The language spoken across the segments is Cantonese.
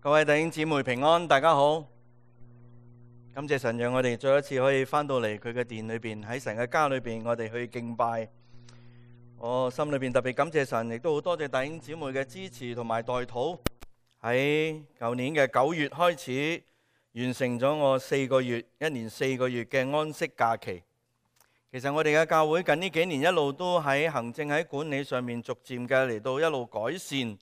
各位弟兄姊妹平安，大家好。感謝神讓我哋再一次可以翻到嚟佢嘅殿裏邊，喺神嘅家裏邊，我哋去敬拜。我心裏邊特別感謝神，亦都好多謝弟兄姊妹嘅支持同埋代禱。喺舊年嘅9月開始，完成咗我一年4個月嘅安息假期。其實我哋嘅教會近呢幾年一路都喺行政喺管理上面逐漸嘅嚟到一路改善。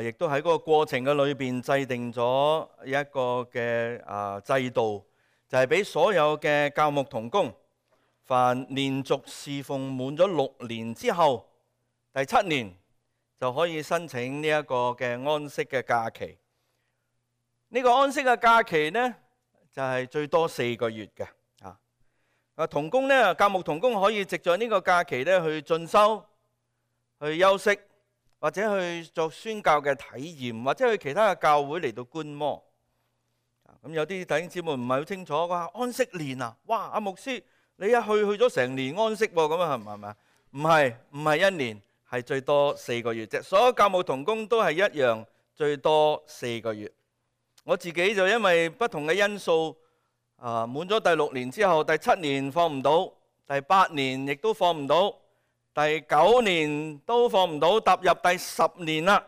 亦都喺嗰個過程嘅裏邊制定咗一個嘅制度，就係俾所有嘅教牧同工，凡連續侍奉滿咗6年之後，第7年就可以申請呢一個嘅安息嘅假期。呢個安息嘅假期呢，就係最多4個月嘅。同工呢，教牧同工可以藉著呢個假期呢去進修、去休息，或者去做宣教嘅體驗，或者去其他嘅教會嚟到觀摩。咁有啲弟兄姊妹唔係好清楚，話安息年啊，哇！阿牧師你一去咗成年安息喎，咁啊係咪？唔係1年，係最多4個月啫。所有教牧同工都係一樣，最多4個月。我自己就因為不同嘅因素，滿咗第6年之後，第7年放唔到，第8年亦都放唔到。第9年都放唔到，踏入第10年啦，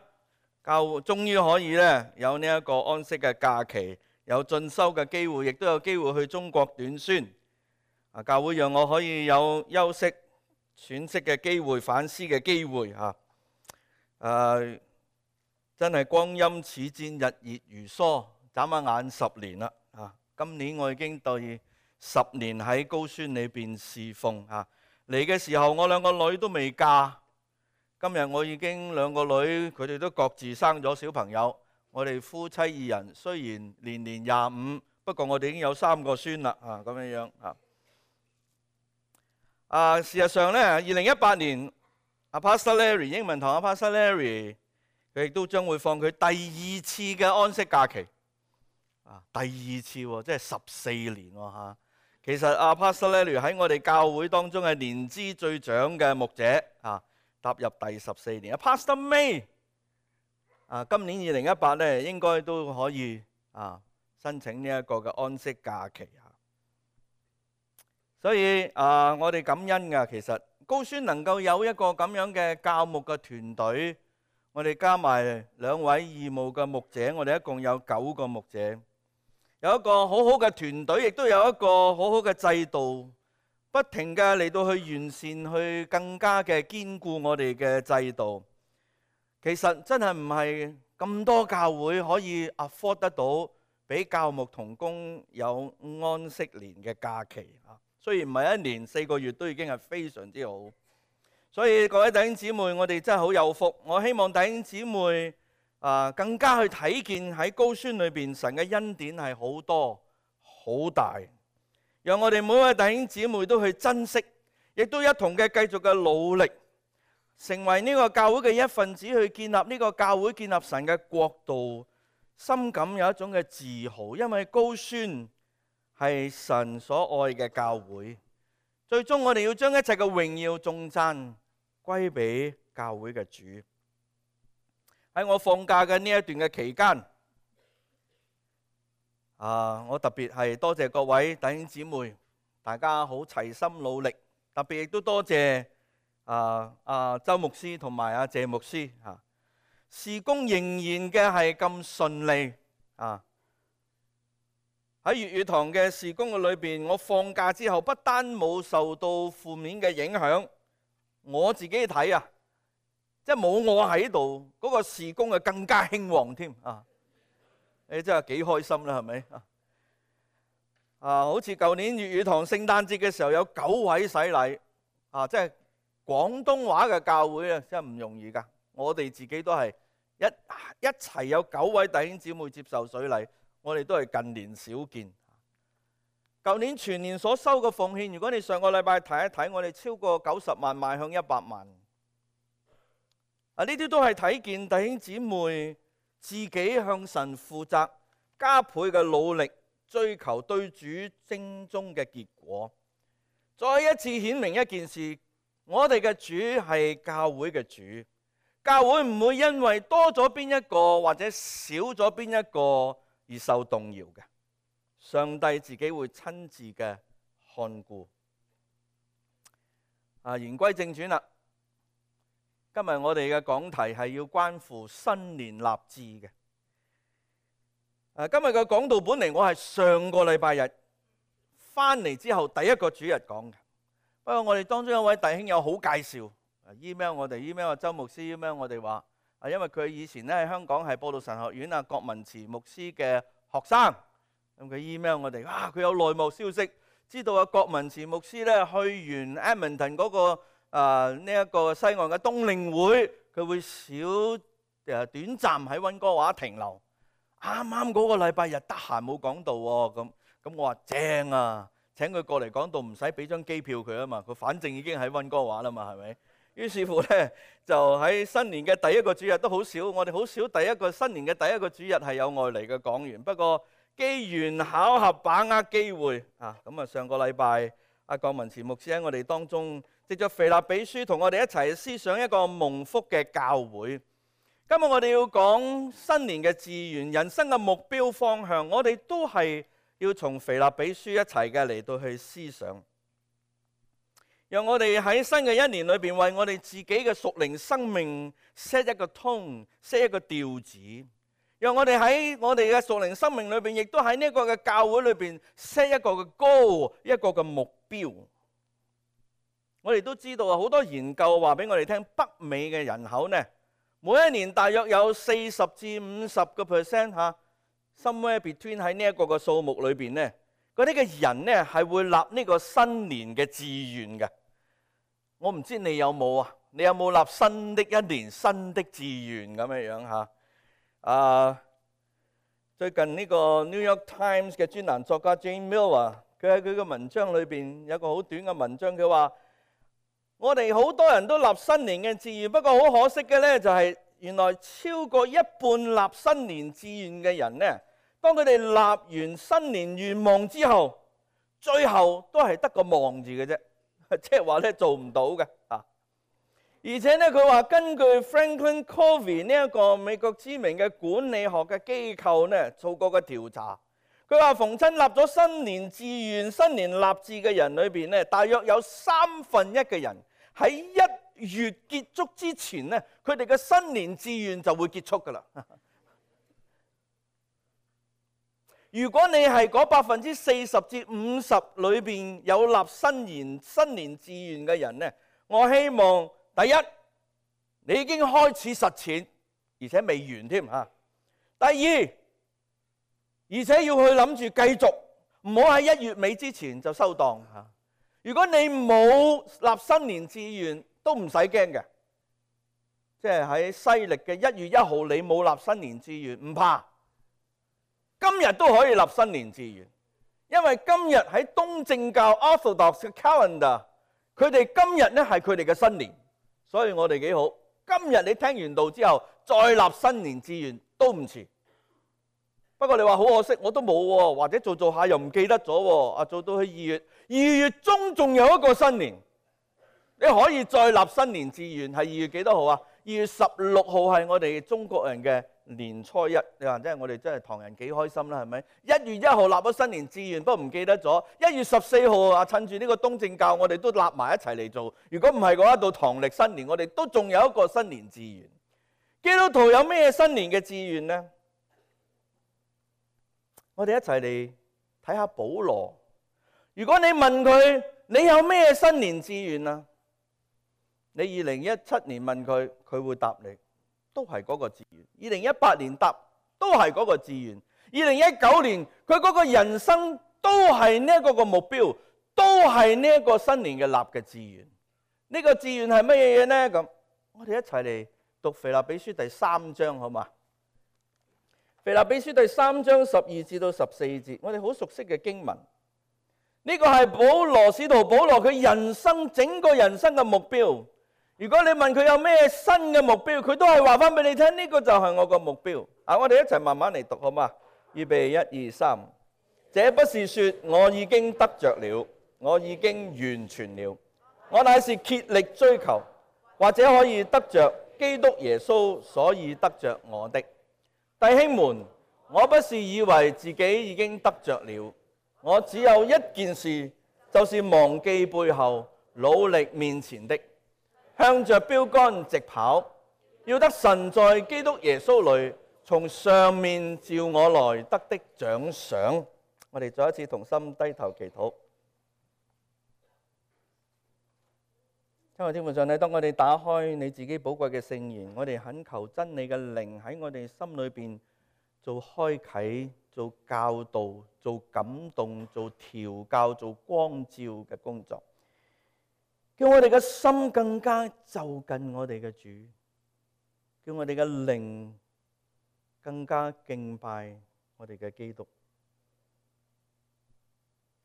教會終於可以咧有呢一個安息嘅假期，有進修嘅機會，亦都有機會去中國短宣。教會讓我可以有休息、喘息嘅機會、反思嘅機會真係光陰似箭，日月如梭，眨下眼10年啦。今年我已經第10年喺高宣裏邊侍奉。嚟嘅時候，我2個女都未嫁。今日我已經2個女，佢哋都各自生咗小朋友。我哋夫妻2人雖然年年25，不過我哋已經有3個孫啦。咁樣事實上呢，2018年阿 Pastor Larry 英文堂阿 Pastor Larry 佢亦都將會放佢第2次嘅安息假期。第2次喎，即係14年喎。其實阿 Pastor Larry 喺我哋教會當中係年資最長嘅牧者，踏入第14年。Pastor May 今年2018呢應該都可以申請呢一個嘅安息假期。所以我哋感恩㗎。其實高宣能夠有一個咁樣嘅教牧嘅團隊，我哋加埋2位義務嘅牧者，我哋一共有9個牧者。有一個好好嘅團隊，亦都有一個好好嘅制度，不停嘅嚟到去完善，去更加嘅堅固我哋嘅制度。其實真係唔係咁多教會可以 afford 得到俾教牧同工有安息年嘅假期。雖然唔係1年4個月，都已經係非常之好。所以各位弟兄姊妹，我哋真係好有福。我希望弟兄姊妹更加去睇見喺高宣裏邊神嘅恩典係好多好大，讓我哋每位弟兄姊妹都去珍惜，亦都一同嘅繼續嘅努力，成為呢個教會嘅一份子，去建立呢個教會，建立神嘅國度，深感有一種嘅自豪，因為高宣係神所愛嘅教會。最終我哋要將一切嘅榮耀頌讚歸俾教會嘅主。喺我放假嘅呢一段嘅期間，我特別係多謝各位弟兄姊妹，大家好齊心努力，特別亦都多謝周牧師同埋阿謝牧師。事工仍然嘅係咁順利。喺粵語堂嘅事工嘅裏邊，我放假之後不單冇受到負面嘅影響，我自己睇即係冇我喺度，嗰個事工啊更加興旺添。你真係幾開心啦，係咪？好似舊年粵語堂聖誕節嘅時候有9位洗禮，即係廣東話嘅教會啊，真係唔容易噶。我哋自己都係一齊有9位弟兄姊妹接受水禮，我哋都係近年少見。舊年全年所收嘅奉獻，如果你上個禮拜睇一睇，我哋超過90萬邁向100萬。呢啲都係睇見弟兄姊妹自己向神負責，加倍嘅努力追求對主精忠嘅結果。再一次顯明一件事，我哋嘅主係教會嘅主，教會唔會因為多咗邊一個或者少咗邊一個而受動搖嘅。上帝自己會親自嘅看顧。言歸正傳啦，今日我哋嘅講題係要關乎新年立志嘅。今日嘅講道本嚟我係上個禮拜日翻嚟之後第一個主日講嘅，不過我哋當中有位弟兄有好介紹，email 我哋 email 周牧師 email 我哋話，因為佢以前咧喺香港係播道神學院郭文慈牧師嘅學生，咁佢 email 我哋，佢有內幕消息，知道郭文慈牧師咧去完 Edmonton 嗰個呢一個西岸嘅冬令會，佢會短暫喺溫哥華停留。啱啱嗰個禮拜日得閒冇講道喎，咁我話正啊，請佢過嚟講道，唔使俾張機票佢啊嘛，佢反正已經喺溫哥華啦嘛，係咪？於是乎咧，就喺新年嘅第一個主日都好少，我哋好少新年嘅第一個主日係有外嚟嘅講員。不過機緣巧合，把握機會咁上個禮拜郭文慈牧師喺我哋當中藉著腓立比書同我哋一齊思想一個蒙福嘅教會。今日我哋要講新年嘅志願、人生嘅目標方向，我哋都係要從腓立比書一齊嘅嚟到去思想，讓我哋喺新嘅一年裏邊為我哋自己嘅屬靈生命 set 一個 tone、set 一個調子，讓我哋喺我哋嘅屬靈生命裏邊，亦都喺呢一個嘅教會裏邊 set 一個嘅 goal、一個嘅目標。我哋都知道好多研究話俾我哋聽，北美嘅人口呢，每一年大約有40%至50%somewhere between 喺呢一個嘅數目裏邊呢，嗰啲嘅人呢係會立呢個新年嘅志願嘅。我唔知你有冇啊？你有冇立新的一年新的志願咁樣樣？最近呢個 New York Times 嘅專欄作家 Jane Miller， 佢喺佢嘅文章裏邊有個好短嘅文章，佢話：我哋好多人都立新年嘅志願，不過好可惜嘅呢，就係原來超過一半立新年志願嘅人呢，當佢哋立完新年願望之後，最後都係得個望字嘅啫，即係話咧做唔到嘅。而且呢，佢話根據 Franklin Covey 呢一個美國知名嘅管理學嘅機構呢做過嘅調查，佢話逢親立咗新年志願、新年立志嘅人裏邊呢，大約有1/3嘅人喺1月結束之前呢，佢哋嘅新年志願就會結束噶啦。如果你係嗰40%至50%裏邊有立新年志願嘅人呢，我希望第一，你已經開始實踐，而且未完添嚇。第二，而且要去諗住繼續，唔好喺1月尾之前就收檔嚇。如果你冇立新年志願，都唔使驚嘅。即係喺西歷嘅1月1號，你冇立新年志願，唔怕。今日都可以立新年志願，因為今日喺東正教 Orthodox 嘅 calendar， 佢哋今日呢係佢哋嘅新年，所以我哋幾好。今日你聽完道之後，再立新年志願都唔遲。不過你話好可惜，我都冇喎，或者做下又唔記得咗喎。做到去2月中仲有一個新年，你可以再立新年志願。係2月幾多號啊？2月16號係我哋中國人嘅年初一。你話真係我哋真係唐人幾開心啦，係咪？1月1號立咗新年志願，不過唔記得咗。1月14號趁住呢個東正教，我哋都立埋一齊嚟做。如果唔係嘅話，到唐歷新年，我哋都仲有一個新年志願。基督徒有咩新年嘅志願呢？我哋一齊嚟睇下保羅。如果你問佢，你有咩新年志願啊？你2017年問佢，佢會答你都係嗰個志願。2018年答都係嗰個志願。2019年佢嗰個人生都係呢一個目標，都係呢一個新年嘅立嘅志願。呢個志願係乜嘢嘢呢？咁我哋一齊嚟讀腓立比書第3章好嘛？腓立比書第3章12至到14節，我哋好熟悉嘅經文。呢個係使徒保羅佢整個人生嘅目標。如果你問佢有咩新嘅目標，佢都係話翻俾你聽，呢個就係我個目標。我哋一齊慢慢嚟讀好嘛？預備1、2、3。這不是說我已經得着了，我已經完全了，我乃是竭力追求，或者可以得着，基督耶穌，所以得着我的。弟兄們，我不是以為自己已經得着了，我只有一件事，就是忘記背後，努力面前的，向着標竿直跑，要得神在基督耶穌裏從上面召我來得的獎賞。我哋再一次同心低頭祈禱。親愛的天父上帝，當我哋打開你自己寶貴嘅聖言，我哋懇求真理嘅靈喺我哋心裏邊做開啟、做教導、做感動、做調教、做光照嘅工作，叫我哋嘅心更加就近我哋嘅主，叫我哋嘅靈更加敬拜我哋嘅基督，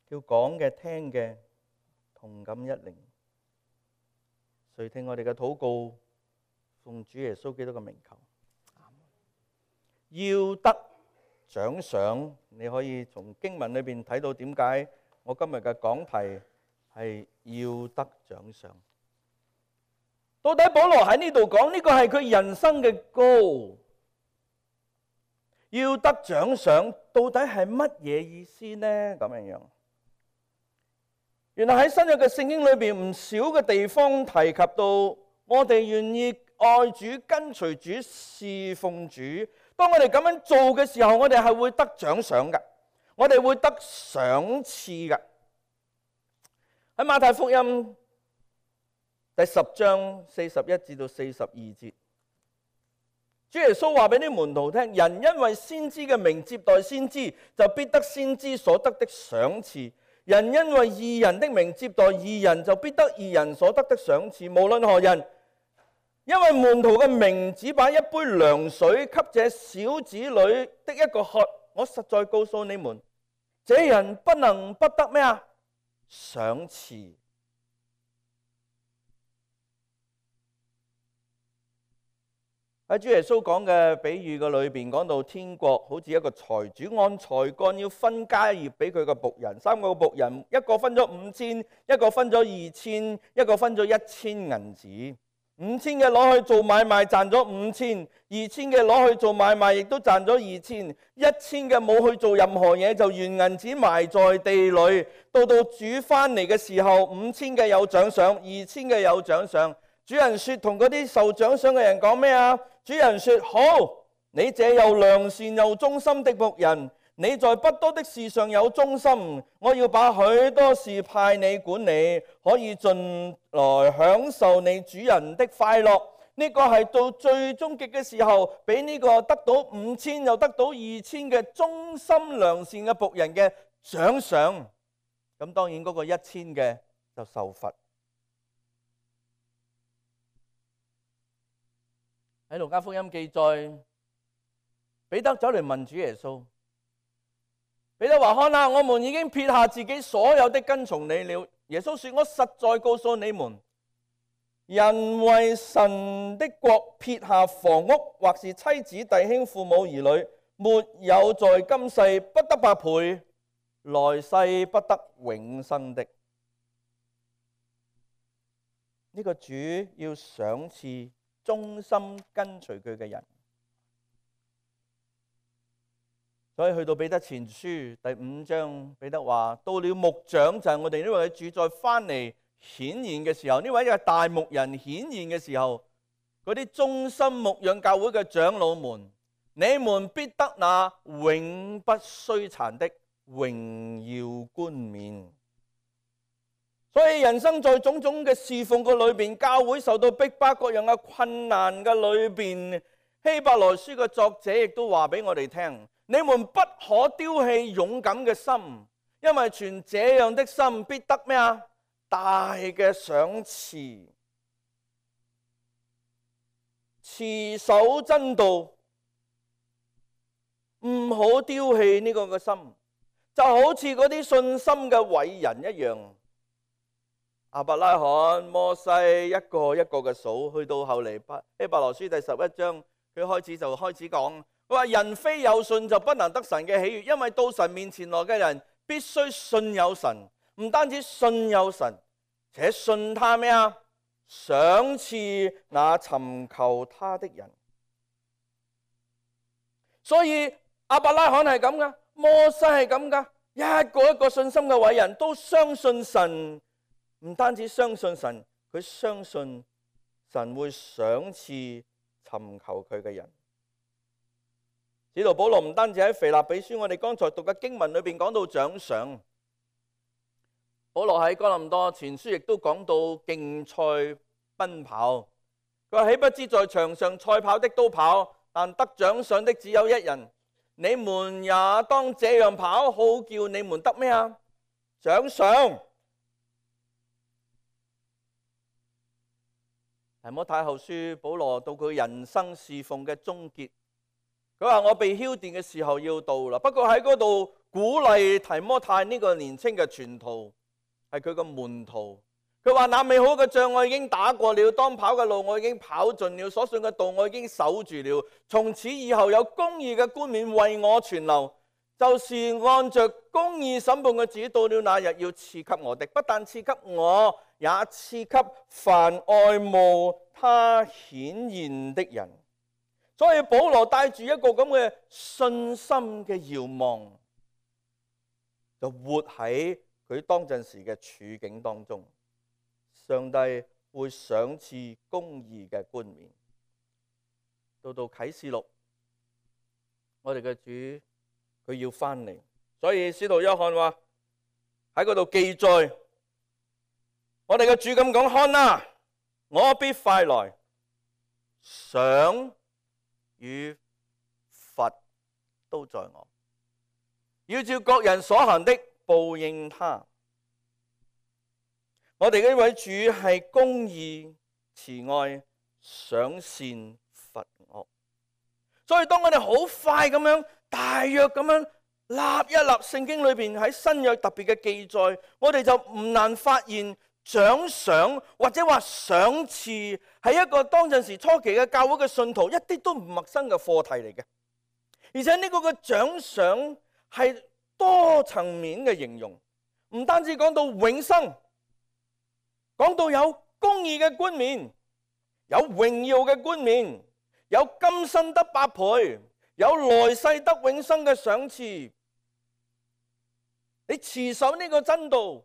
叫講嘅聽嘅同感一靈。垂聽我哋嘅禱告，奉主耶穌基督嘅名求。要得獎賞，你可以從經文裏邊睇到點解我今日嘅講題係要得獎賞。到底保羅喺呢度講呢個係佢人生嘅goal，要得獎賞到底係乜嘢意思呢？咁樣。原來喺新約嘅聖經裏邊唔少嘅地方提及到，我哋願意愛主、跟隨主、侍奉主。當我哋咁樣做嘅時候，我哋係會得獎賞嘅，我哋會得賞賜嘅。喺馬太福音第10章41至到42節，主耶穌話俾啲門徒聽：人因為先知嘅名接待先知，就必得先知所得的賞賜。人因為義人的名接待義人，就必得義人所得的賞賜。無論何人，因為門徒嘅名只把一杯涼水給這小子女的一個喝，我實在告訴你們，這人不能不得咩啊？賞賜。喺主耶穌講嘅比喻嘅裏邊，講到天國好似一個財主按才幹要分家業俾佢個僕人，3個僕人，一個分咗5000，一個分咗2000，一個分咗1000銀子。5000嘅攞去做買賣賺咗5000，2000嘅攞去做買賣亦都賺咗2000，1000嘅冇去做任何嘢就原銀子埋在地裏。到主翻嚟嘅時候，5000嘅有獎賞，2000嘅有獎賞。主人說同嗰啲受獎賞嘅人講咩啊？主人說：好，你這又良善又忠心的僕人，你在不多的事上有忠心，我要把許多事派你管理，可以進來享受你主人的快樂。呢個係到最終極嘅時候，俾呢個得到5000又得到2000嘅忠心良善嘅僕人嘅獎賞。咁當然嗰個1000嘅就受罰。喺路加福音記載，彼得走嚟問主耶穌。彼得話：看啦，我們已經撇下自己所有的跟從你了。耶穌說：我實在告訴你們，人為神的國撇下房屋，或是妻子、弟兄、父母、兒女，沒有在今世不得百倍，來世不得永生的。呢個主要賞賜忠心跟隨佢嘅人，所以去到彼得前書第5章，彼得話：到了牧長，就係我哋呢位主再翻嚟顯現嘅時候，呢位嘅大牧人顯現嘅時候，嗰啲忠心牧養教會嘅長老們，你們必得那永不衰殘的榮耀冠冕。所以人生在種種嘅侍奉嘅裏邊，教會受到逼迫各樣嘅困難嘅裏邊，希伯來書嘅作者亦都話俾我哋聽：你們不可丟棄勇敢嘅心，因為存這樣的心必得咩啊？大嘅賞賜。持守真道，唔好丟棄呢個嘅心，就好似嗰啲信心嘅偉人一樣。亞伯拉罕、摩西一個一個嘅數，去到後嚟希伯來書第11章，佢開始講，佢話人非有信就不能得神嘅喜悅，因為到神面前來嘅人必須信有神，唔單止信有神，且信他咩啊？賞賜那尋求他的人。所以亞伯拉罕係咁噶，摩西係咁噶，一個一個信心嘅偉人都相信神，唔單止相信神，佢相信神會賞賜尋求佢嘅人。使徒保羅唔單止喺腓立比書我哋剛才讀嘅經文裏邊講到獎賞，保羅喺哥林多前書亦都講到競賽奔跑。佢話：豈不知在場上賽跑的都跑，但得獎賞的只有一人。你們也當這樣跑，好叫你們得咩啊？獎賞。提摩太後書，保羅到佢人生侍奉嘅終結，佢話：我被澆奠嘅時候要到啦。不過喺嗰度鼓勵提摩太呢個年輕嘅傳徒，係佢個門徒。佢話：那美好嘅仗我已經打過了，當跑嘅路我已經跑盡了，所信嘅道我已經守住了。從此以後有公義嘅冠冕為我存留，就是按着公義審判嘅主，到了那日要賜給我的，不但賜給我，也賜給凡愛慕他顯現的人。所以保羅帶住一個咁嘅信心嘅遙望，就活喺佢當陣時嘅處境當中。上帝會賞賜公義嘅冠冕。到啟示錄，我哋嘅主佢要翻嚟，所以使徒約翰話喺嗰度記載，我哋嘅主咁講：看哪，我必快來，賞與罰都在我，要照各人所行的報應他。我哋呢位主係公義、慈愛、賞善罰惡，所以當我哋好快咁樣、大約咁樣立一立聖經裏邊喺新約特別嘅記載，我哋就唔難發現獎賞或者話賞賜係一個當陣時初期嘅教會嘅信徒一啲都唔陌生嘅課題嚟嘅，而且呢個嘅獎賞係多層面嘅形容，唔單止講到永生。講到有公義嘅冠冕，有榮耀嘅冠冕，有今生得百倍，有來世得永生嘅賞賜。你持守呢個真道，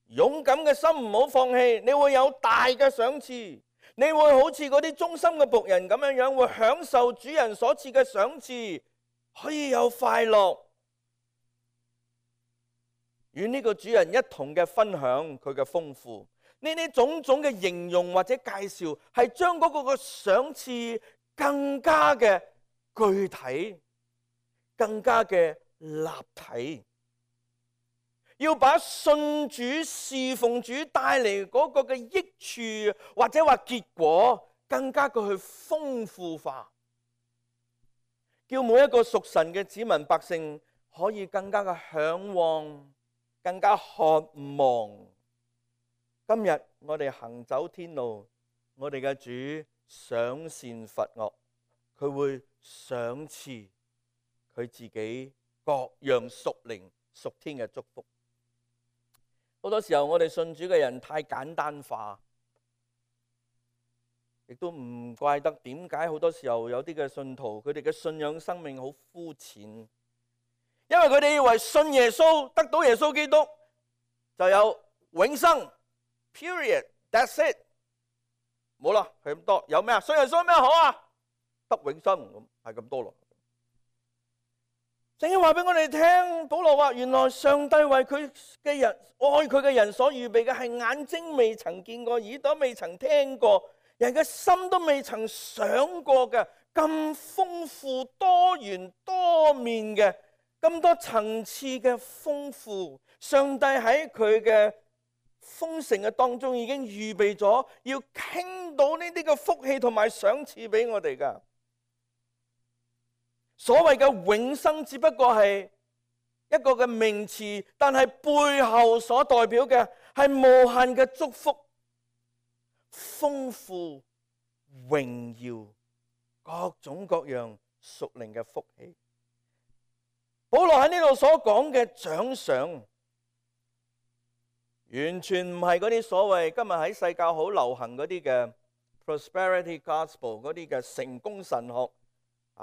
勇敢嘅心唔好放棄，你會有大嘅賞賜。你會好似嗰啲忠心嘅僕人咁樣樣，會享受主人所賜嘅賞賜，可以有快樂，與呢個主人一同嘅分享佢嘅豐富。呢啲種種嘅形容或者介紹，係將嗰個嘅賞賜更加嘅具體，更加嘅立體，要把信主侍奉主帶嚟嗰個嘅益處或者話結果，更加嘅去豐富化，叫每一個屬神嘅子民百姓可以更加嘅向往，更加渴望。今日我哋行走天路，我哋嘅主賞善罰惡，佢會賞賜佢自己各樣屬靈屬天嘅祝福。好多時候我哋信主嘅人太簡單化，亦都唔怪得點解好多時候有啲嘅信徒佢哋嘅信仰生命好膚淺，因為佢哋以為信耶穌得到耶穌基督就有永生。Period. That's it. 冇啦，係咁多。有咩啊？信耶穌有咩好啊？得永生，咁係咁多咯。聖經話俾我哋聽，保羅話原來上帝為佢嘅人愛佢嘅人所預備嘅係眼睛未曾見過，耳朵未曾聽過，人嘅心都未曾想過嘅咁豐富多元多面嘅咁多層次嘅豐富。上帝喺佢嘅豐盛嘅當中已經預備咗要傾到呢啲嘅福氣同埋賞賜俾我哋噶。所謂嘅永生只不過係一個嘅名詞，但係背後所代表嘅係無限嘅祝福、豐富、榮耀、各種各樣屬靈嘅福氣。保羅喺呢度所講嘅獎賞，完全唔係嗰啲所謂今日喺世界好流行嗰啲嘅 prosperity gospel 嗰啲嘅成功神學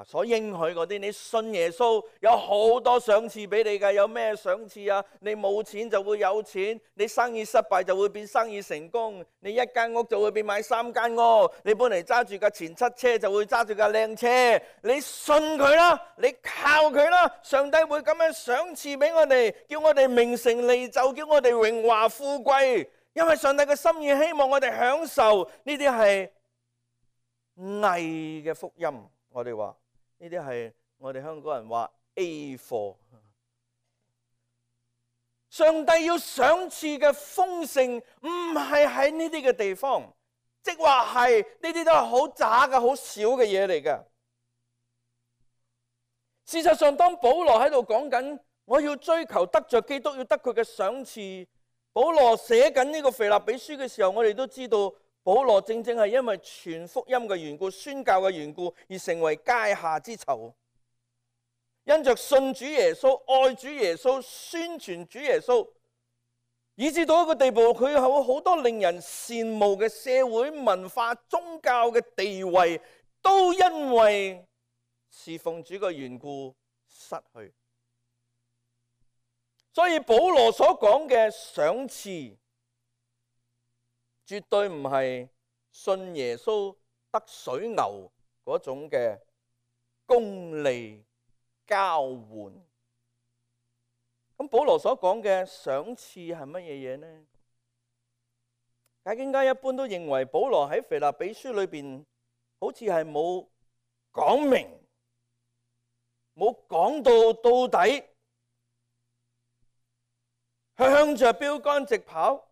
所應許嗰啲。你信耶穌有好多賞賜俾你㗎。有咩賞賜啊？你冇錢就會有錢，你生意失敗就會變生意成功，你一間屋就會變買3間屋，你本嚟揸住架前7車就會揸住架靚車。你信佢啦，你靠佢啦，上帝會咁樣賞賜俾我哋，叫我哋名成利就，叫我哋榮華富貴。因為上帝嘅心意希望我哋享受呢啲係偽嘅福音。我哋話呢啲係我哋香港人話 A 貨。上帝要賞賜嘅豐盛唔係喺呢啲嘅地方，即話係呢啲都係好渣嘅、好少嘅嘢嚟嘅。事實上，當保羅喺度講緊我要追求得着基督，要得佢嘅賞賜，保羅寫緊呢個腓立比書嘅時候，我哋都知道保羅正正係因為傳福音嘅緣故、宣教嘅緣故而成為階下之囚。因着信主耶穌、愛主耶穌、宣傳主耶穌，以至到一個地步，佢有好多令人羨慕嘅社會文化、宗教嘅地位，都因為侍奉主嘅緣故失去。所以保羅所講嘅賞賜，絕對唔係信耶穌得水牛嗰種嘅功利交換。咁保羅所講嘅賞賜係乜嘢嘢呢？解經家一般都認為保羅喺腓立比書裏邊好似係冇講明，冇講到底，向着標竿直跑，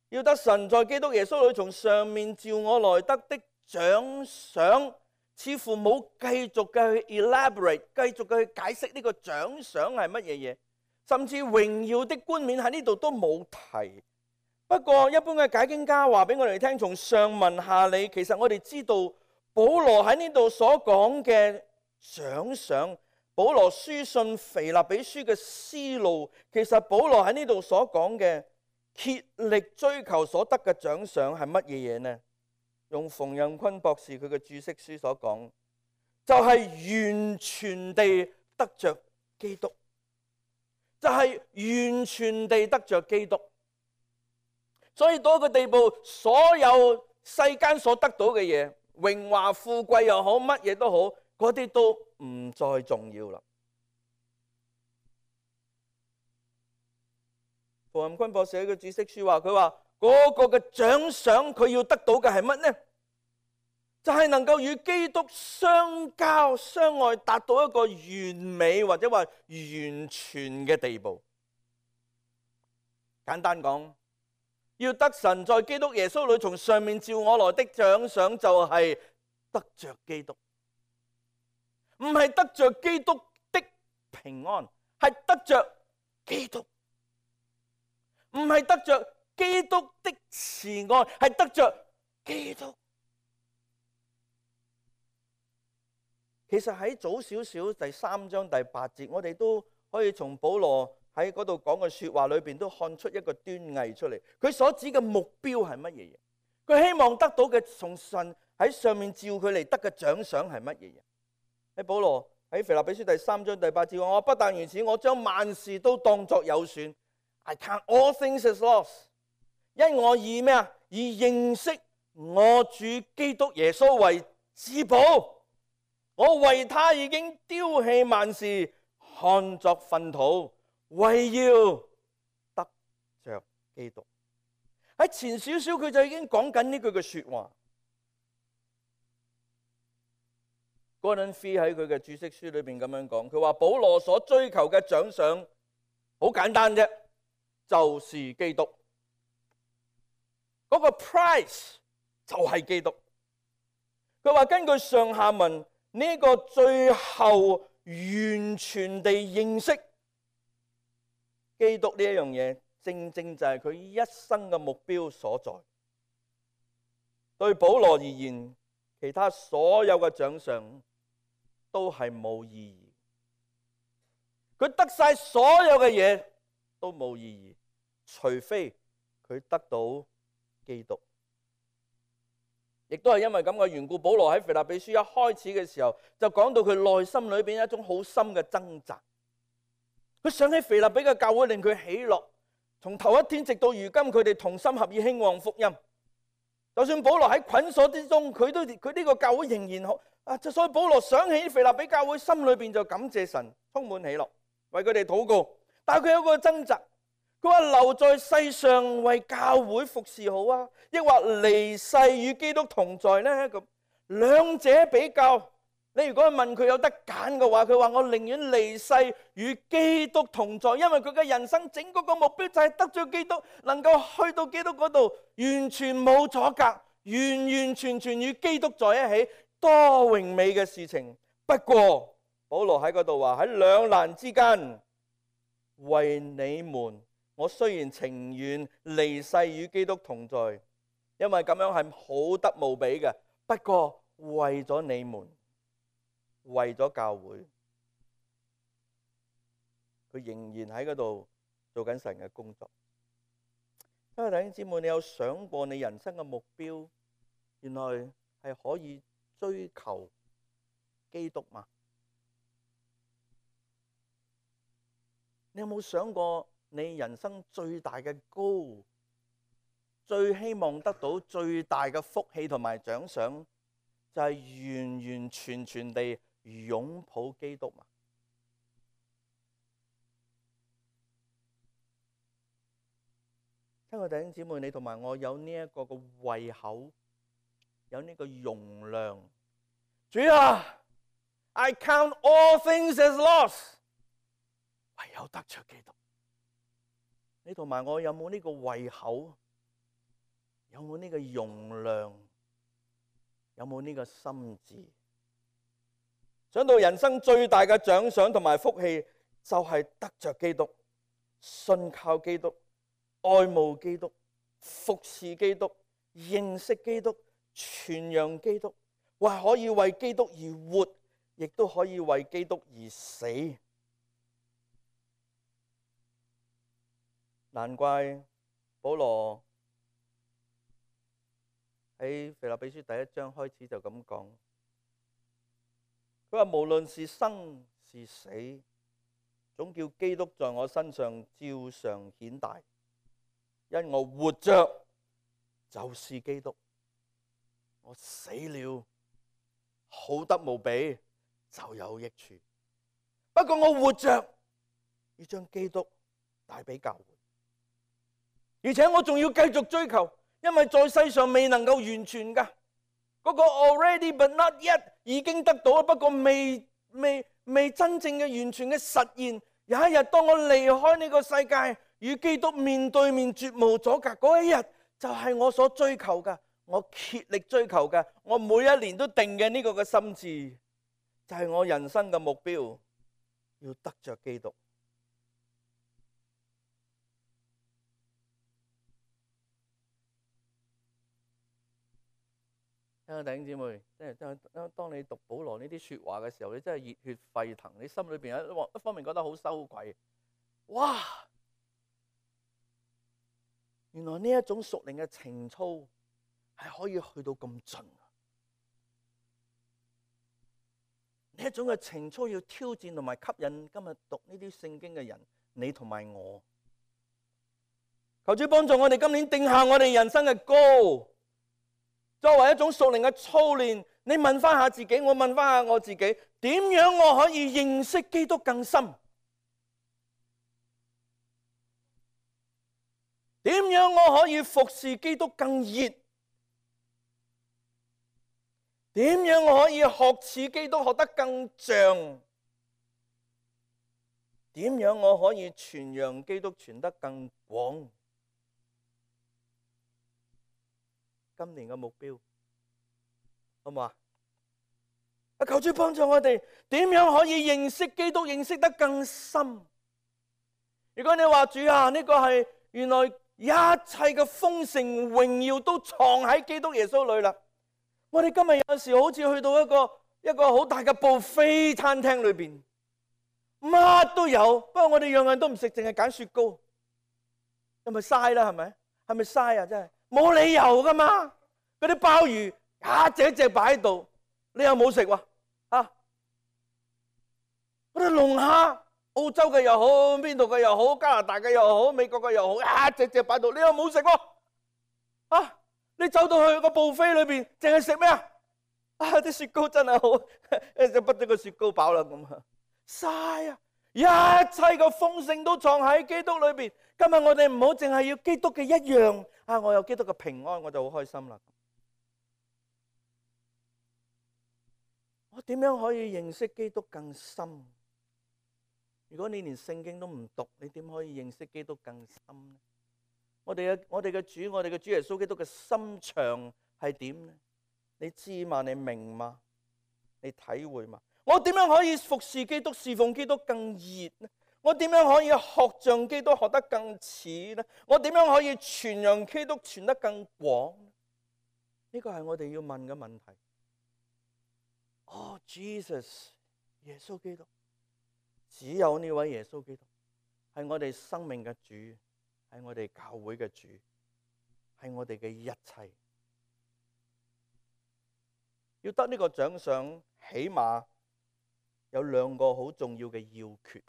要得神在基督耶穌裏從上面召我來得的獎賞，似乎冇繼續嘅去 elaborate， 繼續嘅去解釋呢個獎賞係乜嘢嘢，甚至榮耀的冠冕喺呢度都冇提。不過一般嘅解經家話俾我哋聽，從上文下理，其實我哋知道保羅喺呢度所講嘅獎賞，保羅書信腓立比書嘅思路，其實保羅喺呢度所講嘅竭力追求所得嘅獎賞係乜嘢嘢呢？用馮蔭坤博士佢嘅注釋書所講，就係完全地得着基督，就係完全地得着基督。所以到一個地步，所有世間所得到嘅嘢，榮華富貴又好，乜嘢都好，嗰啲都唔再重要啦。馮蔭坤博士喺個注釋書話，佢話嗰個嘅獎賞佢要得到嘅係乜呢？就係能夠與基督相交相愛，達到一個完美或者話完全嘅地步。簡單講，要得神在基督耶穌裏從上面召我來的獎賞，就係得着基督，唔係得着基督的平安，係得着基督，唔係得着基督的慈愛，係得着基督。其實喺早少少第3章第8節，我哋都可以從保羅喺嗰度講嘅說話裏邊都看出一個端倪出嚟。佢所指嘅目標係乜嘢嘢？佢希望得到嘅從神喺上面召佢嚟得嘅獎賞係乜嘢嘢？喺保羅喺腓立比書第3章第8節話：我不但如此，我將萬事都當作有損。I count all things as loss， 因我以咩啊？以認識我主基督耶穌為至寶。我為他已經丟棄萬事，看作糞土，為要得着基督。喺前少少佢就已經講緊呢句嘅說話。Gordon Fee 喺佢嘅注釋書裏邊咁樣講，佢話保羅所追求嘅獎賞好簡單啫，就是基督。嗰個 price 就係基督。佢話根據上下文。呢個最後完全地認識基督呢一樣嘢，正正就係佢一生嘅目標所在。對保羅而言，其他所有嘅獎賞都係冇意義。佢得晒所有嘅嘢都冇意義，除非佢得到基督。亦都係因為咁嘅緣故，保羅喺腓立比書一開始嘅時候就講到佢內心裏邊一種好深嘅掙扎。佢想起腓立比嘅教會令佢喜樂，從頭一天直到如今，佢哋同心合意興旺福音。就算保羅喺捆鎖之中，佢呢個教會仍然好啊！所以保羅想起腓立比教會，心裏邊就感謝神，充滿喜樂，為佢哋禱告。但係佢有個掙扎。佢話留在世上為教會服侍好啊，抑或離世與基督同在呢？咁兩者比較，你如果問佢有得揀嘅話，佢話我寧願離世與基督同在，因為佢嘅人生整個目標就係得咗基督，能夠去到基督嗰度，完全冇阻隔，完完全全與基督在一起，多榮美嘅事情。不過保羅喺嗰度話，喺兩難之間，為你們，我雖然情願離世與基督同在，因為咁樣係好得無比嘅。不過為咗你們，為咗教會，佢仍然喺嗰度做緊神嘅工作。因為弟兄姊妹，你有想過你人生嘅目標原來係可以追求基督嗎？你有冇想過你人生最大嘅高，最希望得到最大嘅福氣同埋獎賞，就係完完全全地擁抱基督嘛？親愛的弟兄姊妹，你同埋我有呢一個嘅胃口，有呢個容量。主啊 ，I count all things as lost， 唯有得着基督。你同埋我有冇呢個胃口？有冇呢個容量？有冇呢個心智？想到人生最大嘅獎賞同埋福氣，就係得着基督，信靠基督，愛慕基督，服侍基督，認識基督，傳揚基督，或可以為基督而活，亦都可以為基督而死。難怪保羅喺腓立比書第1章開始就咁講，佢話無論是生是死，總叫基督在我身上照常顯大，因我活着就是基督，我死了好得無比，就有益處。不過我活着要將基督帶俾教會。而且我仲要繼續追求，因為在世上未能夠完全㗎。嗰個 already but not yet 已經得到，不過未真正嘅完全嘅實現。有一日當我離開呢個世界，與基督面對面絕無阻隔，嗰一日就係我所追求嘅，我竭力追求嘅，我每一年都定嘅呢個嘅心志，就係我人生嘅目標，要得着基督。弟兄姊妹，當你讀保羅呢啲說話嘅時候，你真係熱血沸騰，你心裏邊一方面覺得好羞愧，哇！原來呢一種屬靈嘅情操係可以去到咁盡，呢一種嘅情操要挑戰同埋吸引今日讀呢啲聖經嘅人，你同埋我。求主幫助我哋今年定下我哋人生嘅高。作為一種屬靈嘅操練，你問翻下自己，我問翻下我自己，點樣我可以認識基督更深？點樣我可以服侍基督更熱？點樣我可以學似基督學得更像？點樣我可以傳揚基督傳得更廣？今年嘅目標好唔好啊？求主幫助我哋，點樣可以認識基督，認識得更深？如果你話主啊，呢個係原來一切嘅豐盛榮耀都藏喺基督耶穌裏啦。我哋今日有時好似去到一個好大嘅buffet餐廳裏邊，乜都有，不過我哋樣樣都唔食，淨係揀雪糕，咁咪嘥啦，係咪係咪嘥啊？真係冇理由噶嘛！嗰啲鮑魚一隻一隻擺喺度，你又冇食喎啊！嗰啲龍蝦，澳洲嘅又好，邊度嘅又好，加拿大嘅又好，美國嘅又好，一隻隻擺喺度，你又冇食喎啊！你走到去個buffet裏邊，淨係食咩啊？啊！啲雪糕真係好，就不咗個雪糕飽啦咁啊！嘥啊！一切嘅豐盛都藏喺基督裏邊。今日我哋唔好淨係要基督嘅一樣啊！我有基督嘅平安，我就好開心啦。我點樣可以認識基督更深？如果你連聖經都唔讀，你點可以認識基督更深呢？我哋嘅主耶穌基督嘅心腸係點呢？你知嘛？你明嘛？你體會嘛？我點樣可以服侍基督、侍奉基督更熱呢？我點樣可以學像基督學得更似呢？我點樣可以傳揚基督傳得更廣呢？呢個係我哋要問嘅問題。哦，Jesus， 耶穌基督，只有呢位耶穌基督係我哋生命嘅主，係我哋教會嘅主，係我哋嘅一切。要得呢個獎賞，起碼有兩個好重要嘅要訣。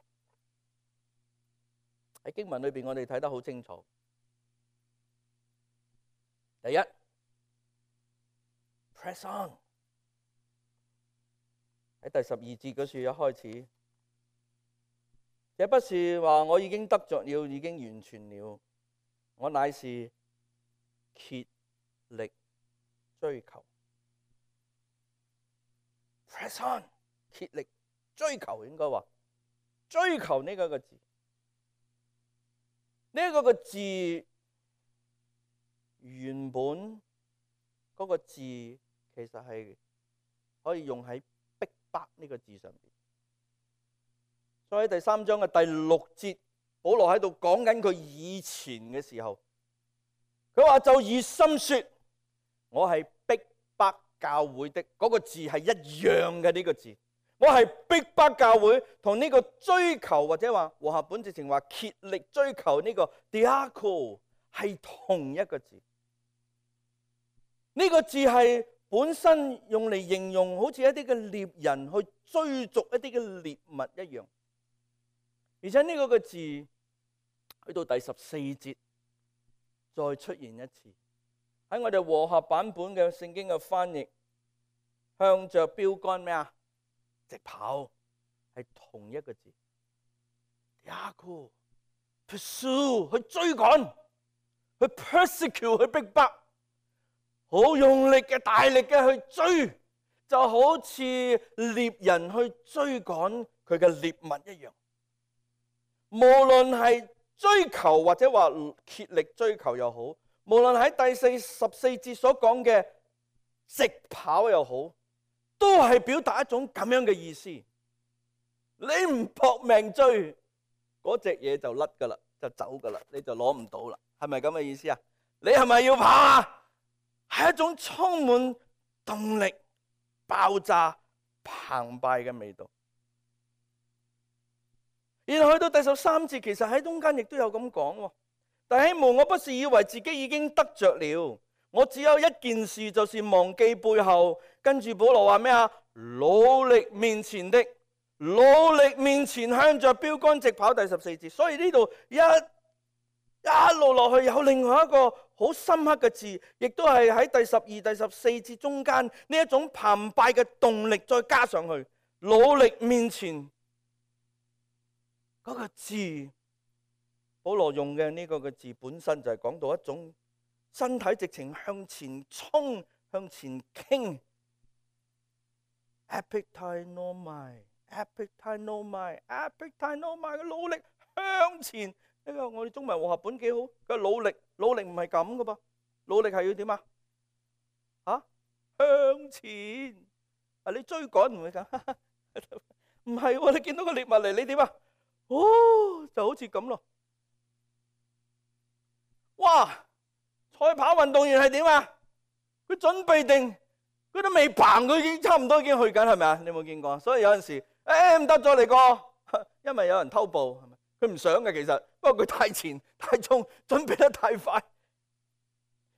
喺經文裏邊，我哋睇得好清楚。第一 ，press on。喺第12節嗰處一開始，這不是話我已經得着了，已經完全了，我乃是竭力追求。press on， 竭力追求，應該話追求呢個字。呢個字原本嗰個字其實係可以用喺逼迫呢個字上邊。所以喺第3章嘅第6節，保羅喺度講緊佢以前嘅時候，佢話就熱心說，我係逼迫教會的，嗰個字係一樣嘅。呢個字我係逼迫教會，同呢個追求或者話和合本直情話竭力追求呢個 diaco 係同一個字。呢個字係本身用嚟形容好似一啲嘅獵人去追逐一啲嘅獵物一樣。而且呢個字去到第14節再出現一次，喺我哋和合版本嘅聖經嘅翻譯，向着標杆咩啊？直跑，係同一個字。diaco pursue 去追趕，去 persecute 去逼迫，好用力嘅大力嘅去追，就好似獵人去追趕佢嘅獵物一樣。無論係追求或者話竭力追求又好，無論喺第14節所講嘅直跑又好，都係表達一種咁樣嘅意思。你唔搏命追，嗰隻嘢就甩噶啦，就走噶啦，你就攞唔到啦，係咪咁嘅意思啊？你係咪要跑啊？係一種充滿動力、爆炸、澎湃嘅味道。然後去到第13節，其實喺中間亦都有咁講。弟兄們，我不是以為自己已經得着了，我只有一件事，就是忘記背後。跟住保羅話咩啊？努力面前的，努力面前向着標杆直跑。第14節，所以呢度一路落去有另外一個好深刻嘅字，亦都係喺第12、第14節中間呢一種澎湃嘅動力再加上去。努力面前嗰個字，保羅用嘅呢個字本身就係講到一種身體直情向前衝、向前傾。Epitainomai 嘅努力向前。呢個我哋中文和合本幾好。佢努力唔係咁噶噃，努力係要點啊？向前。你追趕唔會咁，唔係喎。你見到個獵物嚟，你點啊？就好似咁咯。哇！賽跑運動員係點啊？佢準備定，佢都未嘭，佢已經差唔多已經去緊，係咪啊？你有冇見過？所以有陣時，唔得咗嚟過，因為有人偷步，係咪？佢唔想嘅其實，不過佢太前太衝，準備得太快，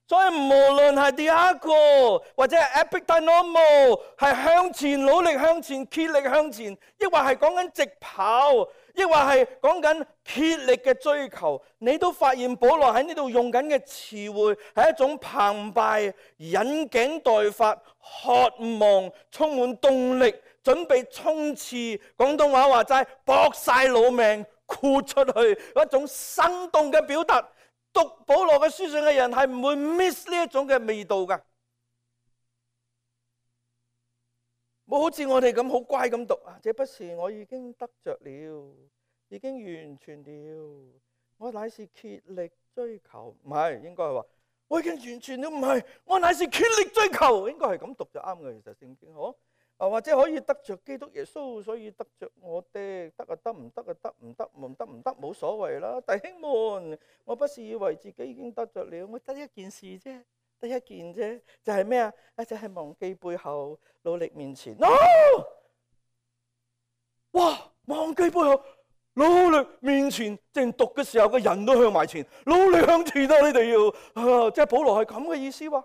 所以無論係diakonos或者係 epigeinomos，係向前努力向前竭力向前，抑或係講緊直跑，抑或係講緊竭力嘅追求，你都發現保羅喺呢度用緊嘅詞彙係一種澎湃、引頸待發、渴望、充滿動力、準備衝刺。廣東話話齋搏晒老命豁出去，一種生動嘅表達。讀保羅嘅書信嘅人係唔會 miss 呢一種嘅味道噶，冇好似我哋咁好乖咁讀啊！這不是我已經得着了，已經完全了，我乃是竭力追求，唔係，應該係話我已經完全了，唔係，我乃是竭力追求，應該係咁讀就啱嘅。其實聖經可或者可以得着基督耶穌，所以得着我的，得啊得，唔得啊得，唔得唔得唔得，冇所謂啦。弟兄們，我不是以為自己已經得着了，我得一件事啫，得一件啫，就係咩啊？就係忘記背後，努力面前。哇！忘記背後，努力面前，正讀嘅時候個人都向埋前，努力向前啊！你哋要即係保羅係咁嘅意思喎。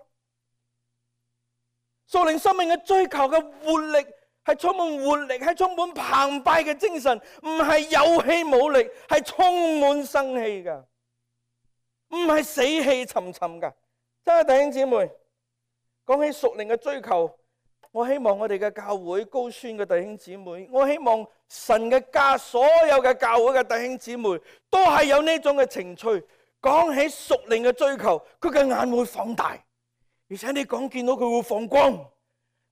屬靈生命嘅追求嘅活力係充滿活力，係充滿澎湃嘅精神，唔係有氣冇力，係充滿生氣噶，唔係死氣沉沉噶。真係弟兄姊妹，講起屬靈嘅追求，我希望我哋嘅教會高宣嘅弟兄姊妹，我希望神嘅家所有嘅教會嘅弟兄姊妹都係有呢種嘅情趣。講起屬靈嘅追求，佢嘅眼會放大。而且你講見到佢會放光，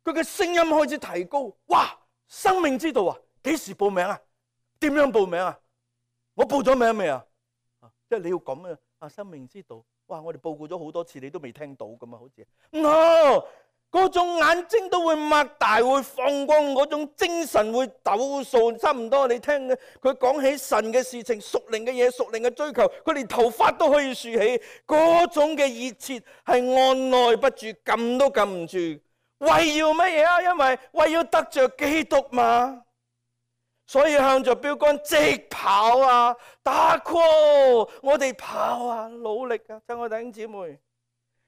佢嘅聲音開始提高。哇！生命之道啊，幾時報名啊？點樣報名啊？我報咗名未啊？即係你要咁啊！生命之道，哇！我哋報告咗好多次，你都未聽到咁啊？好似嗰種眼睛都會擘大，會放光，嗰種精神會抖擻，差唔多。你聽佢講起神嘅事情、屬靈嘅嘢、屬靈嘅追求，佢連頭髮都可以豎起，嗰種嘅熱切係按捺不住，撳都撳唔住。為要乜嘢啊？因為為要得着基督嘛，所以向着標杆直跑啊！打 call， 我哋跑啊，努力啊！親愛弟兄姊妹，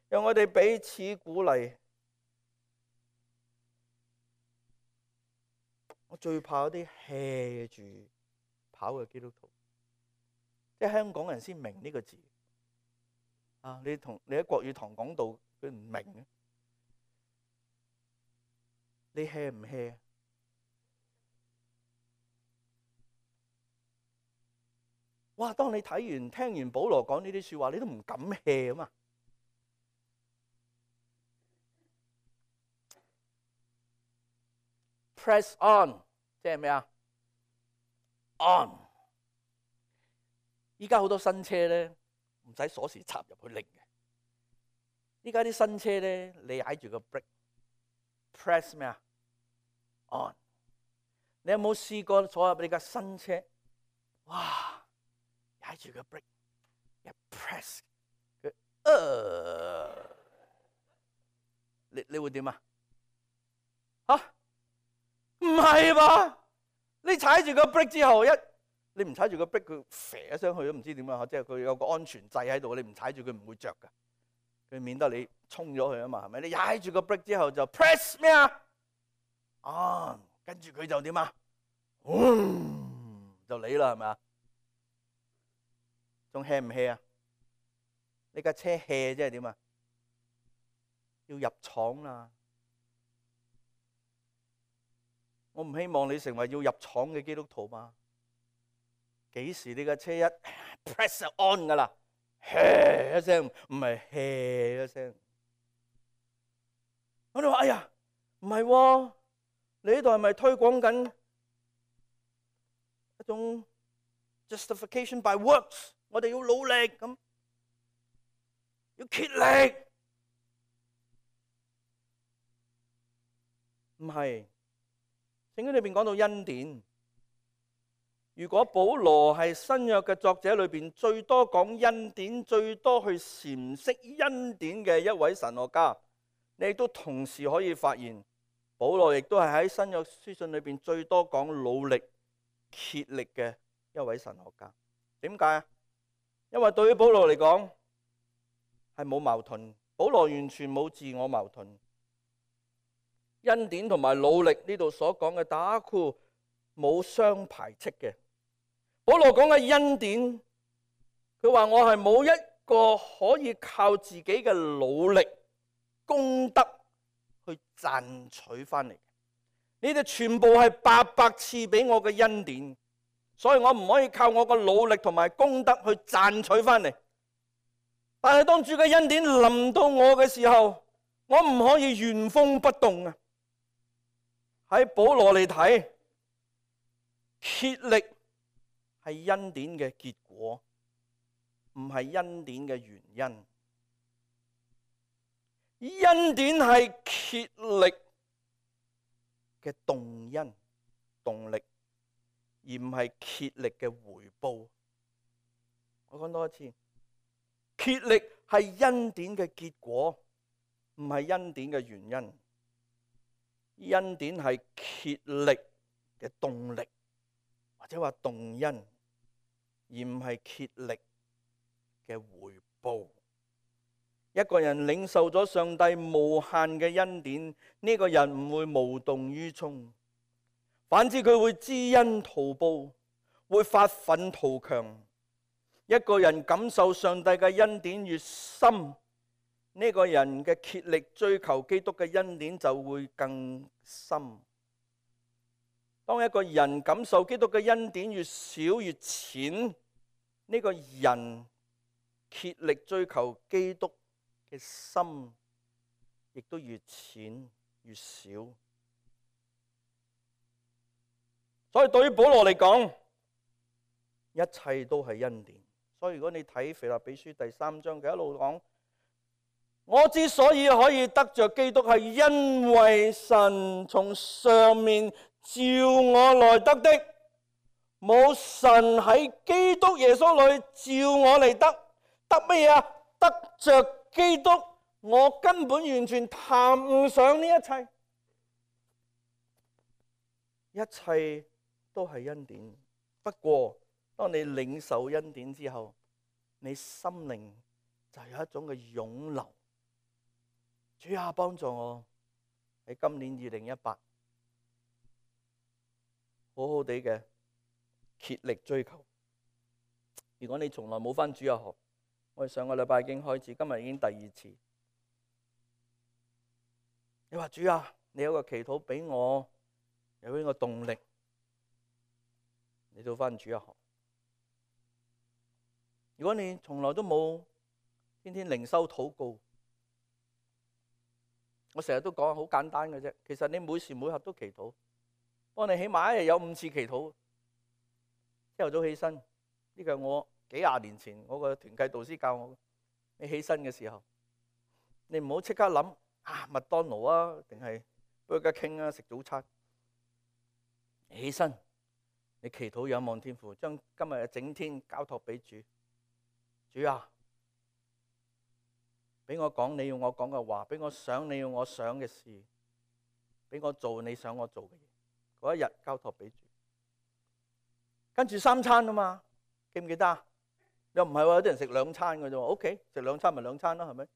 讓我哋彼此鼓勵。我最怕嗰啲 hea 住跑嘅基督徒，即係香港人先明呢個字啊！你喺國語堂講道，佢唔明嘅。你 hea 唔 hea？ 哇！當你聽完保羅講呢啲說話，你都唔敢 hea 啊嘛！Press on， 即係咩啊 ？On。依家好多新車咧，唔使鎖匙插入去拎嘅。依家啲新車咧，你踩住個 brake，press 咩啊 ？On。你有冇試過坐入你架新車？哇！踩住個 brake， 一 press， 你會點啊？嚇？唔係吧？你踩住個 brake 之後，你唔踩住個 brake，佢飛咗上去都唔知點啊！即係佢有個安全掣喺度，你唔踩住佢唔會着噶，佢免得你衝咗佢啊嘛，係咪？你踩住個 brake 之後就 press 咩啊？跟住佢就點啊？就嚟啦，係咪啊？仲 hea 唔 hea 啊？你架車 hea 即係點啊？要入廠啦！我唔希望你成為要入廠嘅基督徒嘛？幾時你架車一 press on 噶啦，hea 一聲，唔係 hea 一聲。我哋話：哎呀，唔係喎，你呢度係咪推廣緊一種 justification by works？ 我哋要努力咁，要竭力，唔係。聖經裏邊講到恩典，如果保羅係新約嘅作者裏邊最多講恩典、最多去闡釋恩典嘅一位神學家，你亦都同時可以發現，保羅亦都係喺新約書信裏邊最多講努力、竭力嘅一位神學家。點解啊？因為對於保羅嚟講係冇矛盾。保羅完全冇自我矛盾。恩典同埋努力呢度所講嘅打คู่冇相排斥嘅。保羅講嘅恩典，佢話我係冇一個可以靠自己嘅努力功德去賺取翻嚟，你哋全部係白白賜俾我嘅恩典，所以我唔可以靠我嘅努力同埋功德去賺取翻嚟。但係當主嘅恩典臨到我嘅時候，我唔可以原封不動啊！喺保羅嚟睇，竭力係恩典嘅結果，唔係恩典嘅原因。恩典係竭力嘅動因、動力，而唔係竭力嘅回報。我講多一次，竭力係恩典嘅結果，唔係恩典嘅原因。恩典係竭力嘅動力，或者話動因，而唔係竭力嘅回報。一個人領受咗上帝無限嘅恩典，呢個人唔會無動於衷，反之佢會知恩圖報，會發奮圖強。一個人感受上帝嘅恩典越深，呢個人嘅竭力追求基督嘅恩典就會更深。當一個人感受基督嘅恩典越少越淺，呢個人竭力追求基督嘅心亦都越淺越少。所以對於保羅嚟講，一切都係恩典。所以如果你睇腓立比書第3章，佢一路講，我之所以可以得着基督，係因為神從上面召我來得的。冇神喺基督耶穌裏召我嚟得乜嘢啊？得着基督，我根本完全談唔上呢一切。一切都係恩典。不過當你領受恩典之後，你心靈就有一種嘅湧流。主啊，幫助我喺今年2018好好地嘅竭力追求。如果你從來冇返主日學，我哋上個禮拜已經開始，今日已經第2次。你話主啊，你有個祈禱俾我，有呢個動力，你到返主日學。如果你從來都冇天天靈修禱告，我成日都講好簡單嘅啫。其實你每時每刻都祈禱，幫你起碼一日有5次祈禱。朝頭早起身，呢個係我幾廿年前我個團契導師教我。你起身嘅時候，你唔好即刻諗麥當勞啊，定係 Burger King 啊，食早餐。起身，你祈禱仰望天父，將今日嘅整天交託俾主。主啊，俾我講你要我講嘅話，俾我想你要我想嘅事，俾我做你想我做嘅嘢。嗰一日交託俾主。跟住3餐啊嘛，記唔記得啊？又唔係話有啲人食2餐嘅啫喎。OK， 食2餐咪2餐啦，係咪？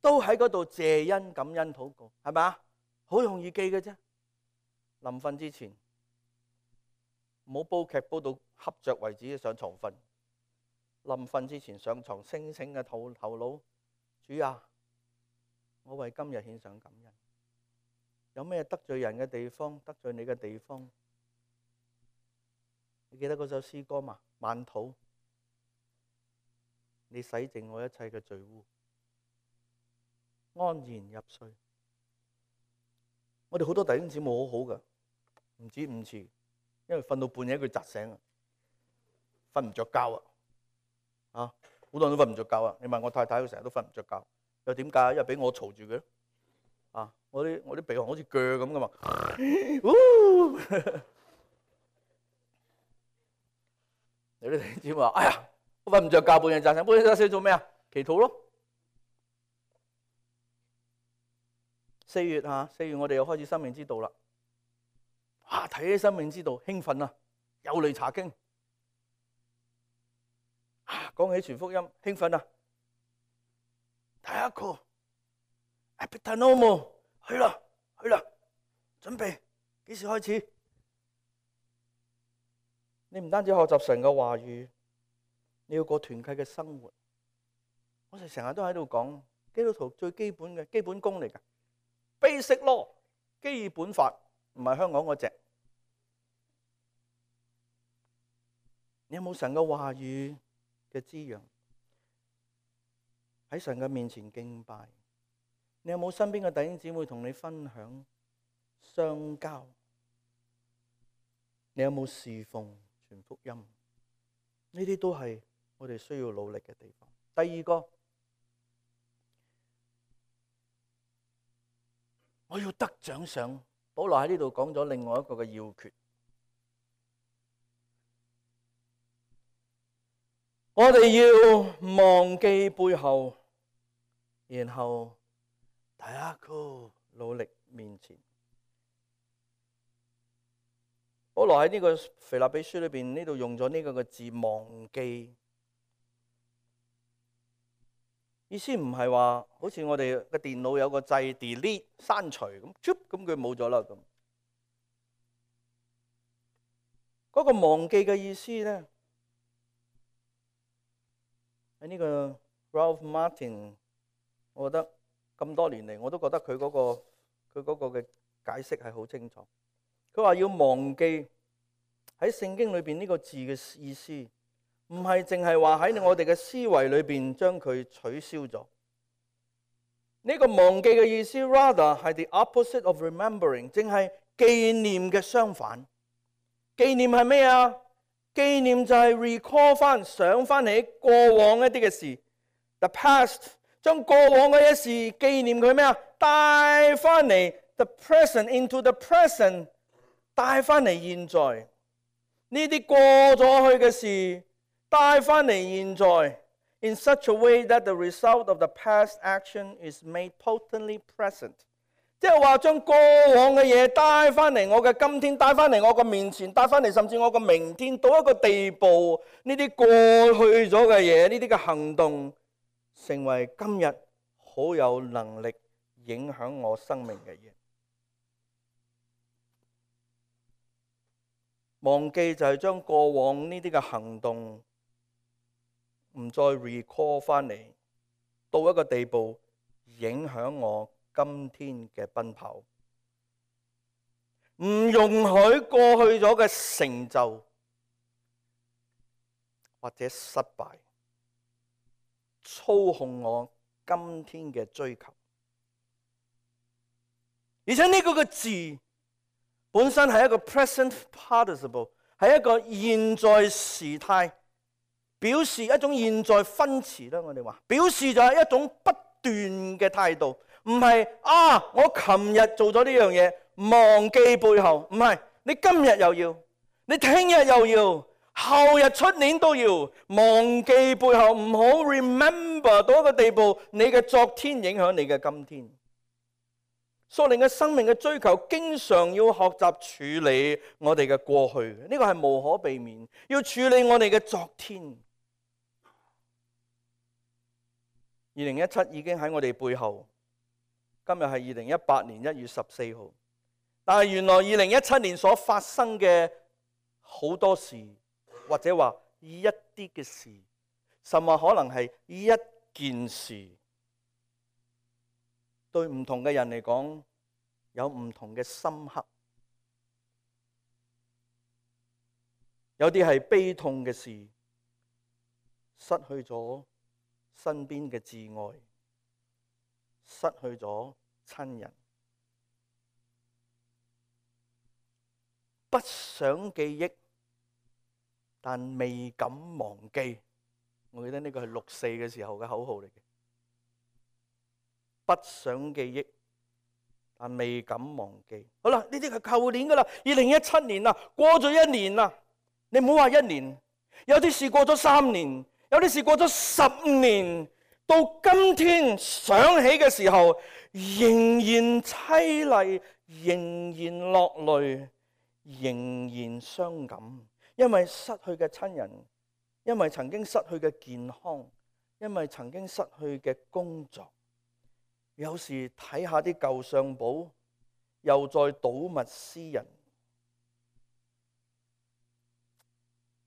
都喺嗰度謝恩感恩禱告，係咪啊？好容易記嘅啫。臨瞓之前，唔好煲劇煲到瞌着為止上床瞓。臨瞓之前上床清醒嘅頭腦，主啊，我為今日獻上感恩。有咩得罪人嘅地方，得罪你嘅地方？你記得嗰首詩歌嘛？萬土，你洗淨我一切嘅罪污，安然入睡。我哋好多弟兄姊妹好好噶，唔止5次，因為瞓到半夜佢窒醒啊，瞓唔着覺啊。好多人都瞓唔着覺啊！你問我太太，佢成日都瞓唔着覺。又點解？因為俾我嘈住佢。我啲鼻鼾好似鋸咁噶嘛。有啲弟兄姊妹話：哎呀，我瞓唔着覺，半夜窒醒，半夜窒醒做咩啊？祈禱咯。4月我哋又開始生命之道啦。睇起生命之道興奮啊！又嚟查經。講起傳福音興奮啊！第一個 Epitanomo， 去啦，準備幾時開始？你唔單止學習神嘅話語，你要過團契嘅生活。我哋成日都喺度講基督徒最基本嘅基本功嚟㗎 ，basic law 基本法，唔係香港嗰隻。你有冇神嘅話語嘅滋養？喺神嘅面前敬拜，你有冇身邊嘅弟兄姊妹同你分享相交？你有冇侍奉傳福音？呢啲都係我哋需要努力嘅地方。第二個，我要得獎賞。保羅喺呢度講咗另外一個嘅要訣。我哋要忘記背後，然後大家努力面前。保羅喺呢個腓立比書裏邊呢度用咗呢個字忘記，意思唔係話好似我哋嘅電腦有個掣 delete 刪除咁，咁佢冇咗啦咁。嗰個忘記嘅意思咧，喺呢個 Ralph Martin， 我覺得咁多年嚟我都覺得佢嗰個嘅解釋係好清楚。佢話要忘記喺聖經裏邊呢個字嘅意思，唔係淨係話喺我哋嘅思維裏邊將佢取消咗。呢個忘記嘅意思 rather 係 the opposite of remembering， 正係紀念嘅相反。紀念係咩啊？紀念就係 recall 翻，想翻起過往一啲嘅事。The past， 將過往嘅一事紀念佢咩啊？帶翻嚟 the present into the present， 帶翻嚟現在。呢啲過咗去嘅事帶翻嚟現在 ，in such a way that the result of the past action is made potently present。即係話將過往嘅嘢帶翻嚟我嘅今天，帶翻嚟我嘅面前，帶翻嚟甚至我嘅明天，到一個地步，呢啲過去咗嘅嘢，呢啲嘅行動，成為今日好有能力影響我生命嘅嘢。忘記就係將過往呢啲嘅行動唔再 recall 翻嚟，到一個地步影響我今天嘅奔跑，唔容許過去咗嘅成就或者失敗操控我今天嘅追求。而且呢個字本身係一個 present participle， 係一個現在時態，表示一種現在分詞啦。我哋話表示就係一種不斷嘅態度。唔係我琴日做咗呢樣嘢，忘記背後。唔係，你今日又要，你聽日又要，後日出年都要忘記背後，唔好 remember 到一個地步，你嘅昨天影響你嘅今天。屬靈嘅生命嘅追求，經常要學習處理我哋嘅過去，呢個係無可避免，要處理我哋嘅昨天。2017已經喺我哋背後。今日係2018年1月14號，但係原來2017年所發生嘅好多事，或者話一啲嘅事，甚至可能係一件事，對唔同嘅人嚟講有唔同嘅深刻。有啲係悲痛嘅事，失去咗身邊嘅摯愛，失去咗親人，不想記憶，但未敢忘記。我記得呢個係64嘅時候嘅口號嚟嘅。不想記憶，但未敢忘記。好啦，呢啲係舊年噶啦，2017年啦，過咗一年啦。你唔好話一年，有啲事過咗3年，有啲事過咗10年。到今天想起嘅時候，仍然淒厲，仍然落淚，仍然傷感，因為失去嘅親人，因為曾經失去嘅健康，因為曾經失去嘅工作，有時睇下啲舊相簿，又再睹物思人。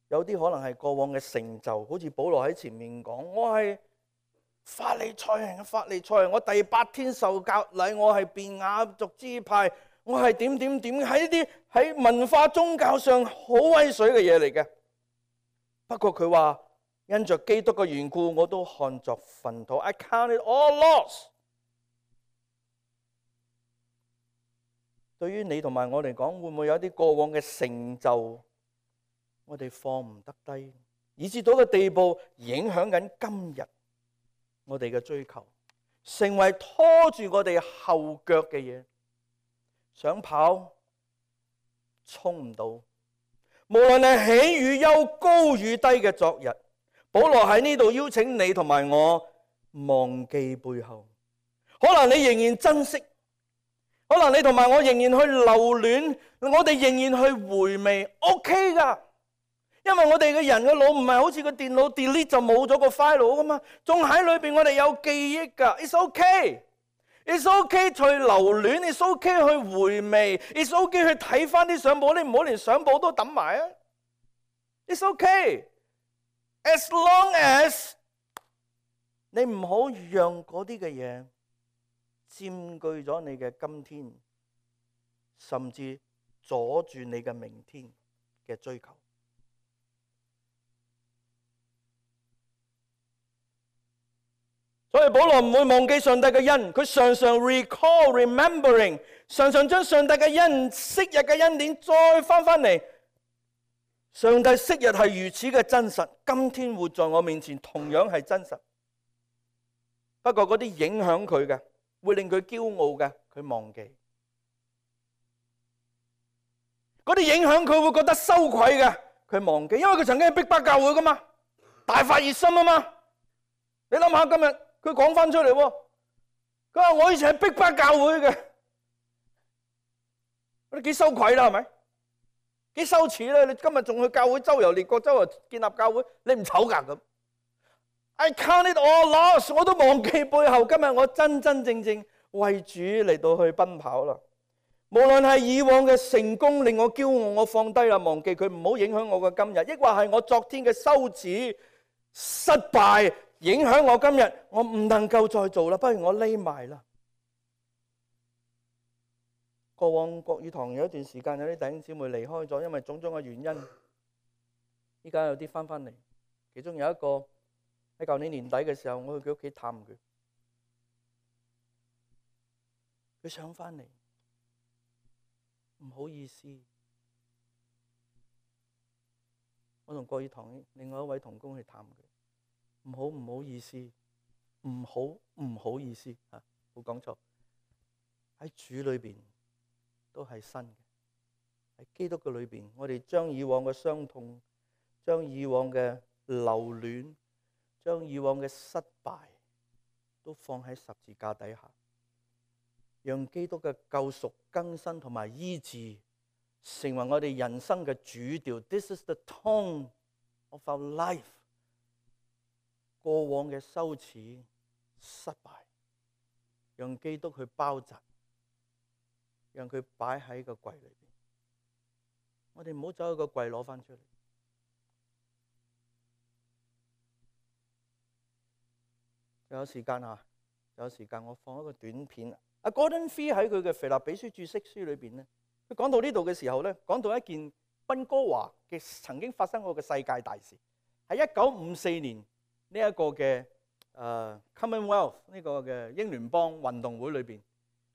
有啲可能係過往嘅成就，好似保羅喺前面講，我係法利賽人嘅法利賽人，我第8天受割禮，我係便雅族支派，我係點，喺啲喺文化宗教上好威水嘅嘢嚟嘅。不過佢話因着基督嘅緣故，我都看作糞土。I count it all loss。對於你同埋我嚟講，會唔會有啲過往嘅成就，我哋放唔得低，以至到個地步影響緊今日我哋嘅追求，成為拖住我哋後腳嘅嘢。想跑，衝唔到。無論係喜與憂、高與低嘅昨日，保羅喺呢度邀請你同埋我忘記背後。可能你仍然珍惜，可能你同埋我仍然去留戀，我哋仍然去回味 ，OK 噶。因為我哋嘅人嘅腦唔係好似個電腦 delete 就冇咗個 file 噶嘛，仲喺裏邊我哋有記憶噶。It's okay，It's okay 去留戀 ，It's okay 去回味 ，It's okay 去睇翻啲相簿，你唔好連相簿都抌埋啊。It's okay，as long as 你唔好讓嗰啲嘅嘢佔據咗你嘅今天，甚至阻住你嘅明天嘅追求。所以保羅唔會忘記上帝嘅恩，佢常常 remembering， 常常將上帝嘅恩、昔日嘅恩典再翻嚟。上帝昔日係如此嘅真實，今天活在我面前同樣係真實。不過嗰啲影響佢嘅，會令佢驕傲嘅，佢忘記；嗰啲影響佢會覺得羞愧嘅，佢忘記。因為佢曾經係逼迫教會噶嘛，大發熱心啊嘛。你諗下今日佢講翻出嚟，佢話我以前係逼迫教會嘅，你幾羞愧啦，係咪？幾羞恥咧！你今日仲去教會周遊列國，周遊建立教會，你唔醜噶咁？I count it all loss， 我都忘記背後。今日我真真正正為主嚟到去奔跑啦。無論係以往嘅成功令我驕傲，我放低啦，忘記佢，唔好影響我嘅今日；抑或係我昨天嘅羞恥、失敗，影響我今日，我唔能夠再做啦，不如我匿埋啦。過往國語堂有一段時間有啲弟兄姊妹離開咗，因為種種嘅原因。依家有啲翻嚟，其中有一個喺舊年年底嘅時候，我去佢屋企探佢，佢想翻嚟，唔好意思。我同國語堂另外一位同工去探佢，唔好意思，唔好意思嚇，冇講錯。喺主裏邊都係新嘅，喺基督嘅裏邊，我哋將以往嘅傷痛，將以往嘅留戀，將以往嘅失敗，都放喺十字架底下，讓基督嘅救贖、更新同埋醫治，成為我哋人生嘅主調。This is the tone of our life。過往嘅羞恥、失敗，讓基督去包紮。讓佢擺喺個櫃裏邊，我哋唔好走去個櫃攞翻出嚟。有時間我放一個短片。阿 Gordon Fee 喺佢嘅腓立比書注釋書裏邊咧，佢講到呢度嘅時候咧，講到一件溫哥華嘅曾經發生過嘅世界大事，喺1954年呢一個嘅Commonwealth 呢個嘅英聯邦運動會裏邊。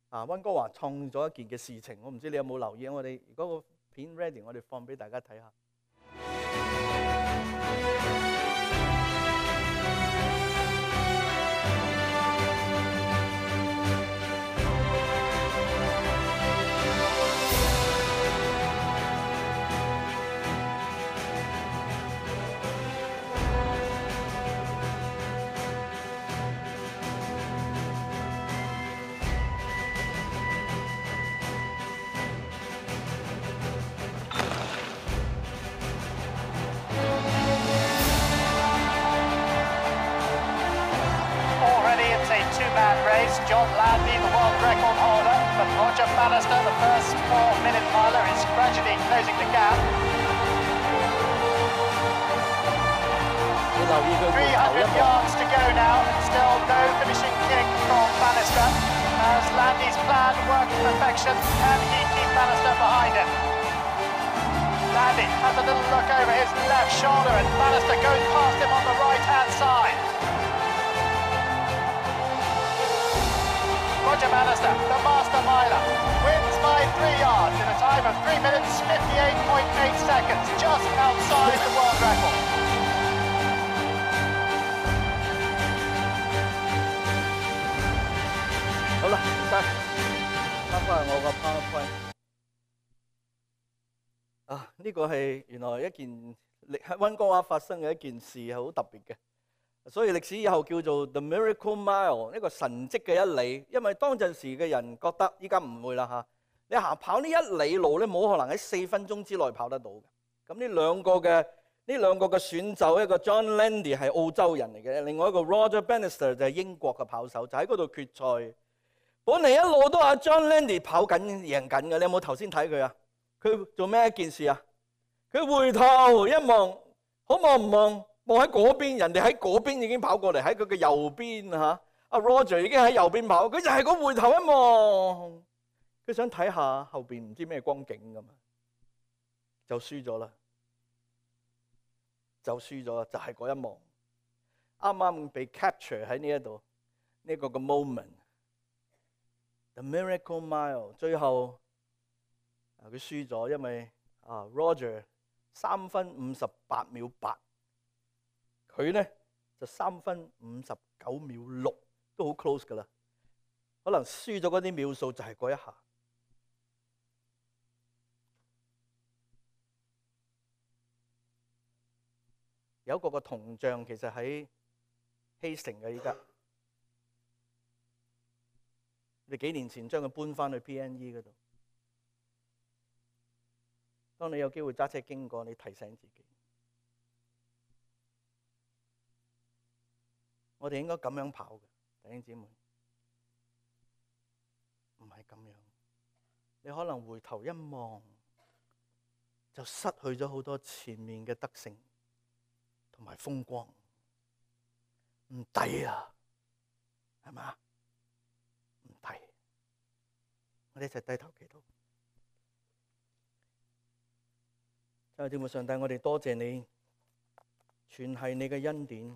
溫哥華創咗一件嘅事情，我唔知你有冇留意。我哋如果個片 ready， 我哋放俾大家睇下。is John Landy, the world record holder, but Roger Bannister, the first 4-minute miler, is gradually closing the gap. 300 yards to go now, still no finishing kick from Bannister. As Landy's plan worked to perfection, can he keep Bannister behind him? Landy has a little look over his left shoulder and Bannister goes past him on the right-hand side. Roger Bannister, the master miler, wins by 3 yards in a time of 3 minutes 58.8 seconds, just outside the world record. 好啦，唔該，翻返我個 PowerPoint。呢個係原來一件喺溫哥華發生嘅一件事，係好特別嘅。所以歷史以後叫做 The Miracle Mile， 一個神蹟嘅一里。因為當陣時嘅人覺得，依家唔會啦嚇。你跑呢1里路咧，冇可能喺4分鐘之內跑得到嘅。咁呢兩個嘅選手，一個 John Landy 係澳洲人嚟嘅，另外一個 Roger Bannister 就係英國嘅跑手，就喺嗰度決賽。本嚟一路都阿 John Landy 跑緊贏緊嘅，你有冇頭先睇佢啊？佢做咩一件事啊？佢回頭一望，好望唔望？望喺嗰邊，人哋喺嗰邊已經跑過嚟，喺佢嘅右邊嚇。阿 Roger 已經喺右邊跑，佢就係嗰回頭一望，佢想睇下後邊唔知咩光景咁啊，就輸咗啦，就係嗰一望，啱啱被 capture 喺呢一度呢個嘅 moment。The Miracle Mile 最後佢輸咗，因為Roger 3分58秒8，佢咧就3分59秒6，都好 close 噶啦。可能輸咗嗰啲秒數就係嗰一下。有一個銅像其實喺希城嘅依家。你幾年前將佢搬翻去 PNE 嗰度。當你有機會揸車經過，你提醒自己，我哋應該咁樣跑嘅，弟兄姊妹，唔係咁樣。你可能回頭一望，就失去咗好多前面嘅得勝同埋風光，唔抵啊，係嘛？我哋一齊低頭祈禱。親愛的天父上帝，我哋多謝你，全係你嘅恩典。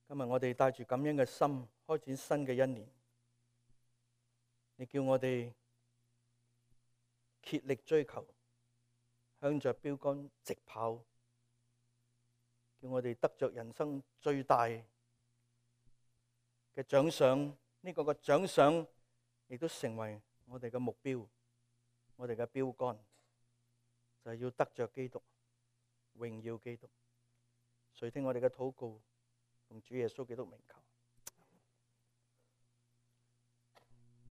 今日我哋帶住感恩嘅心，開展新嘅一年。你叫我哋竭力追求，向着標杆直跑，叫我哋得着人生最大嘅獎賞。呢個嘅獎賞亦都成為我哋嘅目標，我哋嘅標杆，就係要得着基督，榮耀基督。垂聽我哋嘅禱告，奉主耶穌基督名求。